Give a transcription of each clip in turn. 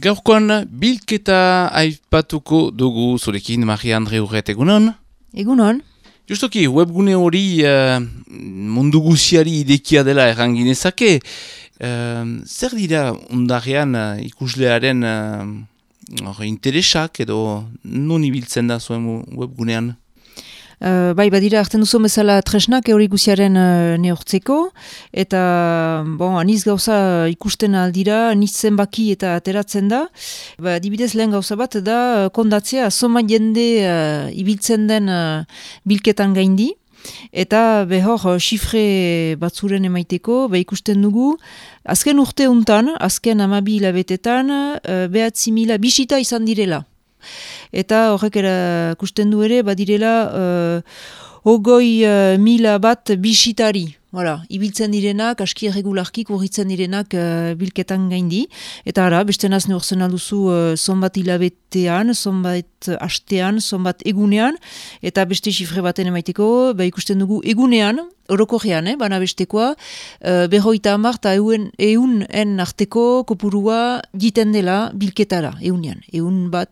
Gaurkoan bilketa aipatuko dugu zurekin Maria Andre Urret, egunon? Egunon. Justoki, webgune hori mundu guziari idekia dela erranginezake. Zer dira undarrean ikuslearen interesak edo non ibiltzen da zuen webgunean? Bai, badira hartzen duzu bezala tresnak hori guziaren neortzeko, eta aniz gauza ikusten aldira, aniz zenbaki eta ateratzen da. Adibidez lehen gauza bat da kondatzea soma jende ibiltzen den bilketan gaindi, eta behor xifre batzuren emaiteko, ikusten dugu, azken urte untan, azken 12 hilabetetan, 9.000 bisita izan direla. Eta horrek erakusten du ere, badirela 20.000 bat bisitari. Ibiltzen direnak, aski erregularki kurritzen direnak bilketan gaindi. Eta beste naz neurtzen alduzu zonbat hilabetean, zonbat hastean, zonbat egunean. Eta beste xifre baten emaiteko, ikusten dugu egunean, orokorrean, bana bestekoa, 50 eta 100 arteko kopurua jiten dela bilketara, egunean. Egun bat,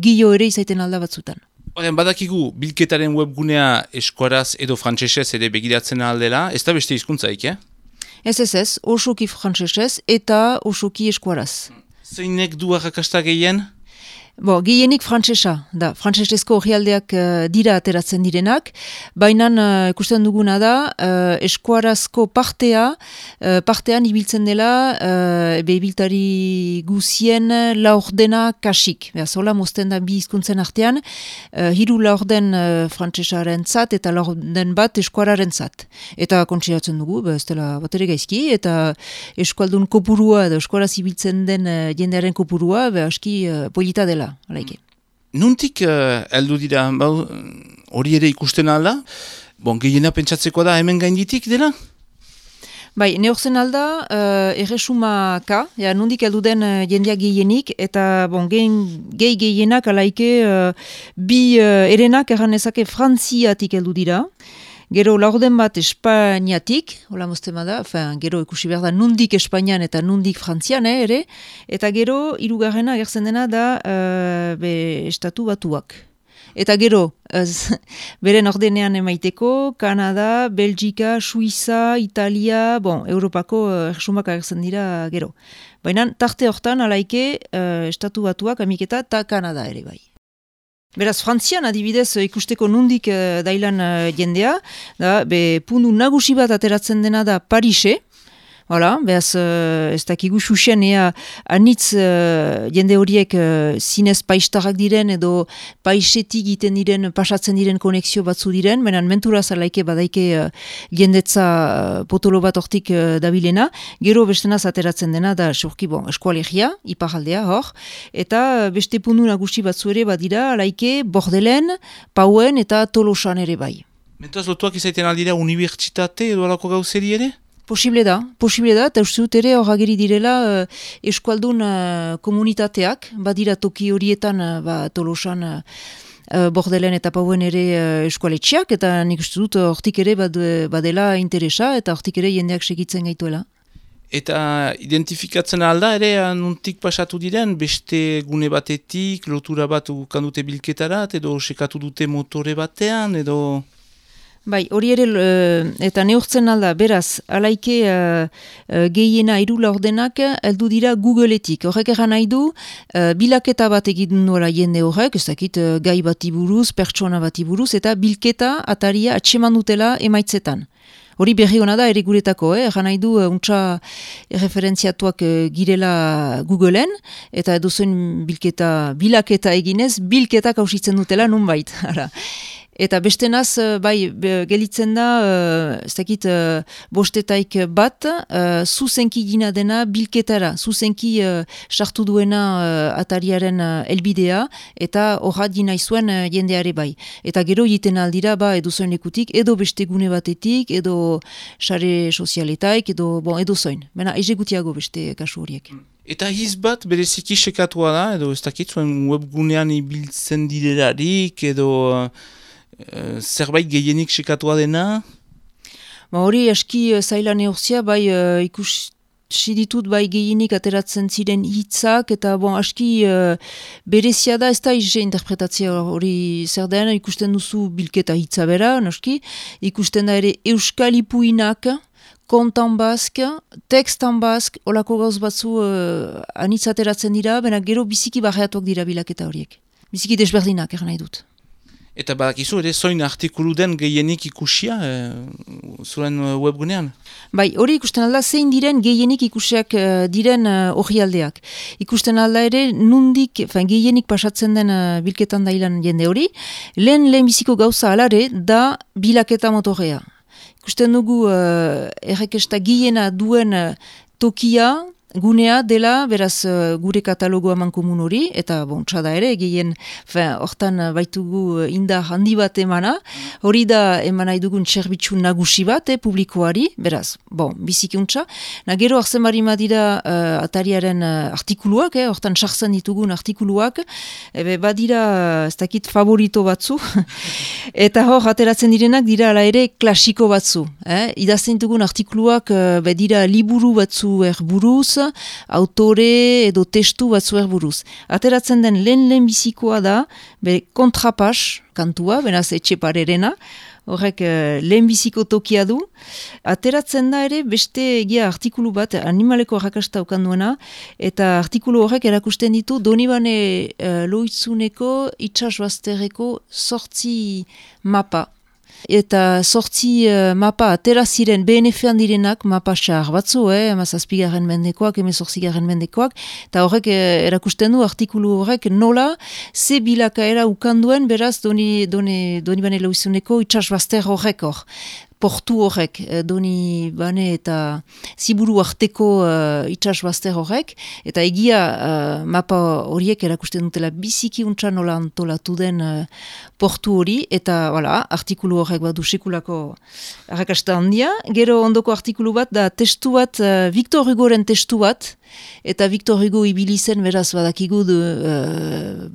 gilo ere izaiten alda batzutan. Badakigu bilketaren webgunea eskuaraz edo frantsesez ere begiratzen aldela, ez da beste hizkuntzaik, Ez, osoki frantsesez eta osoki eskuaraz. Zeinek du arrakasta gehien? Gehienik frantsesa, da, frantsesezko orrialdeak dira ateratzen direnak, baina ikusten duguna da, eskuarazko partean ibiltzen dela, ibiltari guzien laurdena kasik. Zola mozten da bi hizkuntzen artean, 3 laurden frantsesaren zat eta laurden bat eskuararen zat. Eta kontsiratzen dugu, ez dela bat ere gaizki, eta eskualdun kopurua edo eskuaraz ibiltzen den jendearen kopurua, aski polita dela. Nuntik heldu dira, hori ere ikusten alda? Gehiena pentsatzeko da hemen gainditik dela? Bai, neorzen alda, erresumaka, nondik heldu den jendeak gehienik, eta gehienak alaike bi erenak erranezake frantziatik heldu dira. Gero laurden bat Espainiatik, hola moztema da, gero ikusi behar da nundik Espainian eta nundik Frantzian ere, eta gero hirugarrena agertzen dena da Estatu Batuak. Eta gero, beren ordenean emaiteko, Kanada, Belgika, Suiza, Italia, Europako erresumak agertzen dira gero. Baina tarte hortan alaike Estatu Batuak, Amiketa eta Kanada ere bai. Beraz, Frantzian adibidez ikusteko nundik dailan jendea, puntu nagusi bat ateratzen dena da Parise, beraz, ez dakigu xuxen anitz jende horiek zinez paistarrak diren edo paisetik iten diren, pasatzen diren konexio batzu diren, benen mentura zalaike badaike jendetza potolo bat hortik dabilena, gero bestenaz ateratzen dena da eskualegia, iparaldea hor, eta beste puntu nagusi batzu ere badira, alaike Bordelen, Pauen eta Tolosan ere bai. Mentoaz lotuak izaiten aldira unibertsitate edo alako gauzeri ere? Posible da, eta uste dut ere hor ageri direla eskualdun komunitateak, badira toki horietan Tolosan, Bordelen eta Pauen ere eskualetxeak, eta nik uste dut hortik ere badela interesa, eta hortik ere jendeak segitzen gaituela. Eta identifikatzen alda ere nuntik pasatu diren, beste gune batetik, lotura bat ukandute bilketarat, edo sekatu dute motore batean, edo... Bai, hori ere, eta neurtzen alda, beraz, alaike gehiena 3 laurdenak heldu dira Googleetik. Horrek eran nahi du, bilaketa bat egiten duela jende horrek, ez dakit gai bati buruz, pertsona bati buruz, eta bilketa ataria atseman dutela emaitzetan. Hori berri hona da ere guretako, eran nahi du untsa referentziatuak girela Googleen, eta edozuen bilaketa eginez, bilketak hausitzen dutela nunbait. Eta bestenaz, gelitzen da, ez dakit, bostetaik bat, zuzenki gina dena bilketara, zuzenki sartu duena atariaren elbidea, eta horrat gina izuen jendeare bai. Eta gero egiten aldira, edo zoin lekutik, edo beste gune batetik, edo sare sozialetaik, edo zoin. Bena, egutiago beste kasu horiek. Eta hiz bat bereziki sekatua da, edo ez dakit, zuen webgunean ibiltzen direlarik, edo... zerbait gehienik sekatua dena? Hori aski zaila neorzia, ditut bai gehienik ateratzen ziren hitzak, eta bon, aski berezia da, ez da ize interpretatzea hori zer den, ikusten duzu bilketa hitza bera, noski, ikusten da ere euskal ipuinak, kontan bazk, tekstan bazk, olako gauz batzu anitz ateratzen dira, baina gero biziki barreatuak dira bilaketa horiek. Biziki desberdinak, nahi dut. Eta badakizu ere zoin artikulu den gehienik ikusia zuen webgunean? Bai, hori ikusten alda zein diren gehienik ikusiak diren orrialdeak. Ikusten alda ere nundik, gehienik pasatzen den bilketan dailan jende hori, lehen biziko gauza alare da bilaketa motorrea. Ikusten dugu errekesta gehiena duen tokia, gunea dela, beraz gure katalogoa mankomun hori, eta txada ere, gehien, hortan baitugu indar handi bat emana, hori da eman nahi dugun txerbitxu nagusi bat, publikoari, beraz, bizikuntza. Gero arzen bari madira atariaren artikuluak, hortan sartzen ditugun artikuluak, badira, ez dakit favorito batzu, eta hor, ateratzen direnak dira ala ere klasiko batzu. Idazten ditugun artikuluak, dira liburu batzu erburuz, autore edo testu batzuer buruz. Ateratzen den lehen bizikoa da, kontrapas kantua, beraz etxeparerena, horrek lehen biziko tokia du. Ateratzen da ere beste egia artikulu bat, animaleko arrakasta okanduena, eta artikulu horrek erakusten ditu Donibane Lohitzuneko itxasbazterreko 8 mapa. Eta 8 mapa atera ziren BNF-an direnak mapa xar batzu, 17. mendekoak, 18. mendekoak, eta horrek erakusten du artikulu horrek nola ze bilakaera ukanduen beraz Donibane Lohitzuneko itxasbazter horrek hor. Portu horrek, doni bane eta ziburu arteko itxasbazter horrek, eta egia mapa horiek erakusten dutela biziki untsa nola antolatu den portu hori, eta artikulu horrek badu sekulako arrakasta handia. Gero ondoko artikulu bat da testu bat, Victor Hugoren testu bat, eta Victor Hugo ibili zen beraz badakigu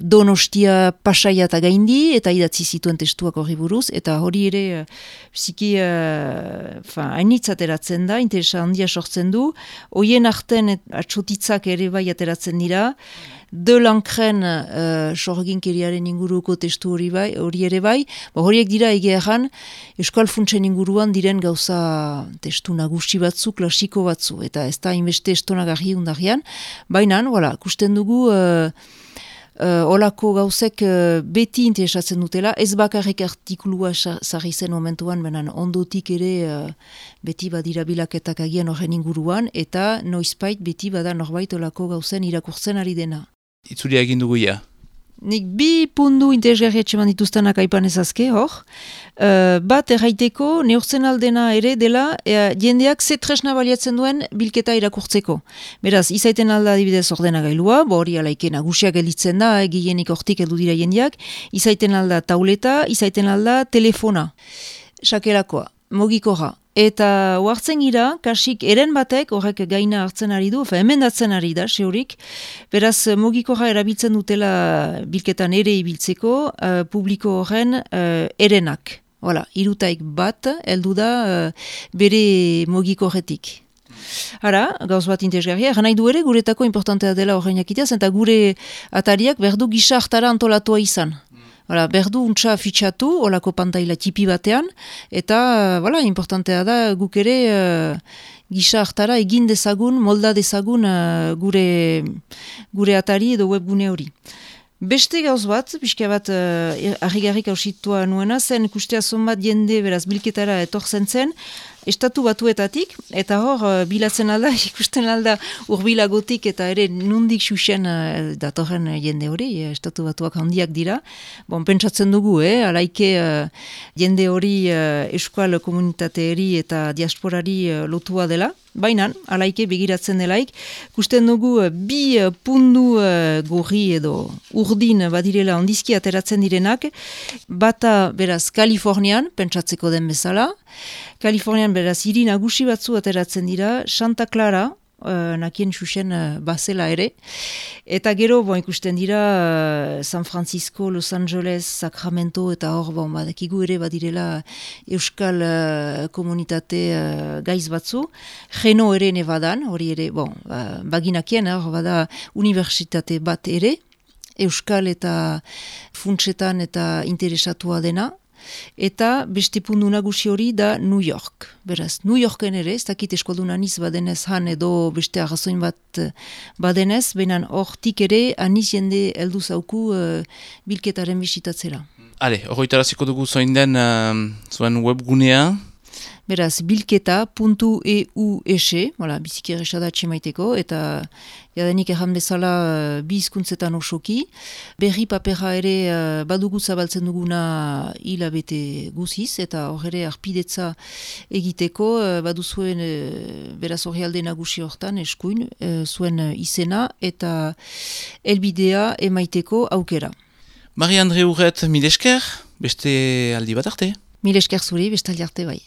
Donostia Pasaia eta gaindi, eta idatzi zituen testuak horri buruz, eta hori ere biziki hainitz ateratzen da, interesa handia sortzen du, hoien arten atxotitzak ere bai ateratzen dira, De Lancren sorginkeriaren inguruko testu hori ere bai, horiek dira egeeran Euskal Funtsen inguruan diren gauza testu nagusi batzu, klasiko batzu, eta ez da inbeste estonagarri undarrian, baina, kusten dugu olako gauzek beti interesatzen dutela, ez bakarrik artikulua sarri zen momentuan, benen ondotik ere beti badira bilaketak agian horren inguruan, eta noizbait beti bada norbait olako gauzen irakurtzen ari dena. Itzulia egin dugu ja. Nik 2 puntu interesgarri etxeman dituztenak aipan ezazke, hor. Bat erraiteko, neurtzen aldena ere dela, jendeak ze tresna baliatzen duen bilketa irakurtzeko. Beraz, izaiten alda adibidez ordenagailua, hori alaike nagusiak gelditzen da, gehienik hortik heldu dira jendeak, izaiten alda tauleta, izaiten alda telefona. Sakelakoa, mogikorra. Eta oartzen gira, kasik eren batek, horrek gaina hartzen ari du, emendatzen ari da, sehorik, beraz mogikorra erabiltzen dutela bilketan ere ibiltzeko, publiko horren erenak. Irutaik bat, heldu da bere mogikorretik. Hara, gauz bat interesgarria, nahi du ere guretako importantea dela horrein jakiteaz, eta gure atariak berdu gisa hartara antolatua izan. Berdu untsa fitxatu, olako pantaila tipi batean, eta importantea da guk ere gisa hartara egin dezagun, molda dezagun gure atari edo webgune hori. Beste gauz bat, pixka bat harrigarrik hausitua nuena, zen ikustea zonbat jende beraz bilketara etortzen zen, estatu batuetatik, eta hor bilatzen alda, ikusten alda urbilagotik eta ere nundik xuxen datorren jende hori, estatu batuak handiak dira. Pentsatzen dugu, alaike jende hori euskal komunitateari eta diasporari lotua dela. Baina, alaike begiratzen delaik, ikusten dugu 2 pundu gorri edo urdin badirela ondizki ateratzen direnak, bata beraz Kalifornian, pentsatzeko den bezala, Kalifornian beraz hiri nagusi batzu ateratzen dira, Santa Clara, nakien xuxen bazela ere. Eta gero, ikusten dira San Francisco, Los Angeles, Sacramento, eta hor, badakigu ere badirela euskal komunitate gaiz batzu. Geno ere nebadan, hori ere, baginakien, hor bada universitate bat ere, euskal eta funtsetan eta interesatua dena. Eta beste puntu nagusi hori da New York. Beraz, New Yorken ere, ez dakit eskualdun aniz badenez han edo beste arrazoin bat badenez, behinan hortik ere aniz jende heldu zauku bilketaren bisitatzera. Hale, horretaraziko dugu zoin den zuen webgunea. Beraz, bilketa.eus, biziki erresa da txemaiteko, eta jadenik erran bezala bi hizkuntzetan osoki. Berri papera ere badugu zabaltzen duguna hilabete guziz, eta hor ere arpidetza egiteko, baduzuen beraz horri alde nagusi hortan eskuin, zuen izena eta elbidea emaiteko aukera. Marie-Andre Urret, mil esker, beste aldi bat arte. Mil esker zuri, beste aldi arte bai.